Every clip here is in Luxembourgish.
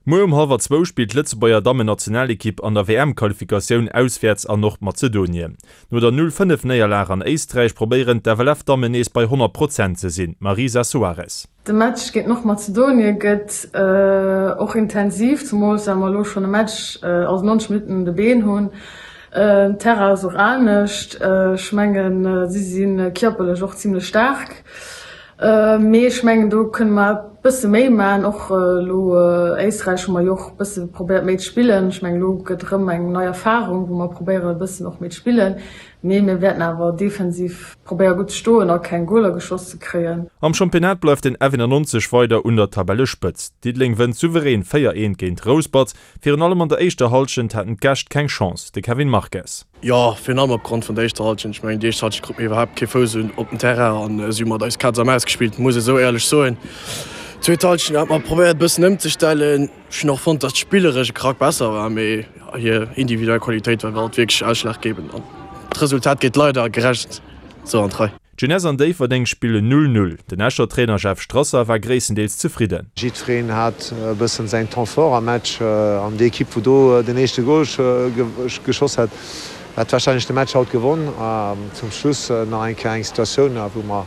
Muer um hallwer zwou spillt d'Lëtzebuerger Dammen-Nationalekipp an der WM-Qualifikatioun auswäerts an Nordmazedonien. No der 0, 5 Néierlag an Éisträich probéieren d'FLF-Dammen nees bei 100 Prozent ze sinn. Marisa Soares. De Match géint Nordmazedonien gëtt och intensiv, zemools well mer elo schonn e Match, also 90 Minutten un de Been hunn. Den Terrain ass och anescht. Ech mengen, si si kierperlech och zimmlech staark. Mee ech mengen, do kënne mer e bësse méi maachen. Och elo Éisträich hu mer jo och e bësse probéiert méi ze spillen. Ech mengen, elo gëtt erëm eng nei Erfarung, wou mer probéieren e bëssen och méi ze spillen. Mee mir wäerten awer defensiv probéiere gutt ze stoen a keng Goler geschoss ze kréien. Am Championnat bleift den F91 weider un der Tabellespëtzt. Diddeleng wënnt souverän 4, 1 géint Rouspert. Virun allem an der éischter Hallschent haten d'Gäscht keng Chance, de Kevin Marques. Jo, virun allem opgrond vun der éischter Hallschent. Ech mengen, déi éischt Hallschent krute mir iwwerhaapt kee Fouss un op den Terrain an si hu mat eis Kaz a Maus gespillt, muss ee sou éierlech soen. Zweet Hallschent hate mer probéiert e bëssen ëmzestellen. Ech hunn och fonnt, datt d'spilleresch e Krack besser war, mee hir individuell Qualitéit war alt wierklech ausschlaggebend an d'Resultat geet leider gerecht sou an d'Rei. D'Jeunesse an Déifferdeng spillen 0, 0. Den Escher Trainer Jeff Strasser war gréisstendeels zefridden. Jiddwereen hat e bëssen säin Temps fort am Match an déi Ekipp, wou do den éischte Gol geschoss hat, hätt warscheinlech de Match haut gewonn. Zum Schluss nach eng Kéier eng Situatioun, wou mer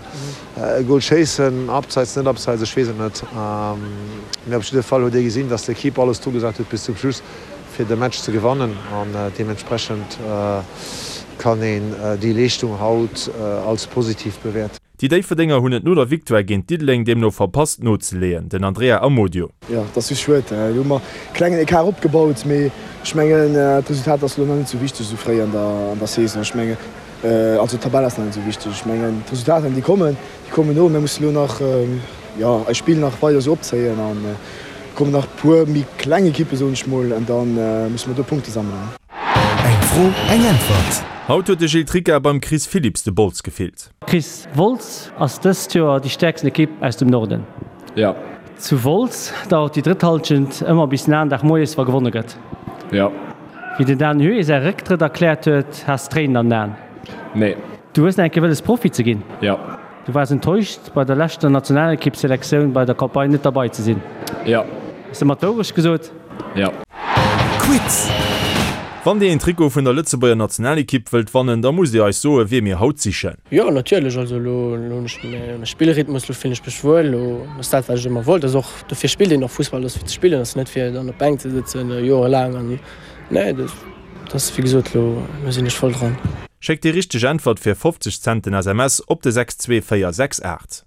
e Gol schéissen, abseits, net abseits, ech weess et net. Mee op jidde Fall huet ee gesinn, dass d'Ekipp alles dru gesat huet bis zum Schluss, fir de Match ze gewannen an deementsprechend kann een déi Leeschtung haut als positiv bewäerten. Déi Déifferdenger hunn et no der Victoire géint Diddeleng deemno verpasst nozeleeën. Den Andrea Amodio. Jo, et ass just schued. Do hu mer e klengen Ecart opgebaut, mee ech mengen d'Resultat ass elo nach net esou wichteg esou fréi an der Saison. Ech mengen, also d'Tabell ass nach net esou wichteg. Ech mengen d'Resultater déi kommen, déi kommen no. Mir musse elo nach, jo, eist Spill nach weider esou opzéien an Kommen nach puer méi kleng Ekippen soen ech mol an dann musse mer do Punkte sammelen. Eng Fro, eng Äntwert. Haut huet de Gilles Tricca beim Chris Philipps de Bols gefillt. Chris, Wolz ass dëst Joer déi stäerksten Ekipp aus dem Norden. Jo. Zu Wolz dauert déi drëtt Hallschent ëmmer bis den aneren Dag moies, wa gewonne gëtt. Jo. Wéi den Dan Huet säi Récktrëtt erkläert huet, has Tréinen an den Aen. Nee. Du hues nach eng Kéier wëlles Profi ze ginn. Jo. Du waars enttäuscht, bei der leschter Nationalekippselektioun bei der Campagne net derbei ze sinn. Jo. Hues de mer d'Wourecht gesot? Jo. Quiz! Wann dir een Trikot vun der Lëtzebuerger Nationalekipp wëllt wannen, da musst dir eis soe wie mir haut sichen. Jo natierlech, also elo hunn ech mäi Spillrhythmus, elo fillen ech mech wuel, elo ass dat wat ech ëmmer wollt, ass och dofir spillt een och Fussball, ass fir ze spillen, ass net fir dann op d'Bänk ze sëtzen jorelaang an nee dat ass wéi gesot elo elo sinn ech voll dran. Schéckt déi richteg Äntwert fir 50 Cent den SMS op de 62468.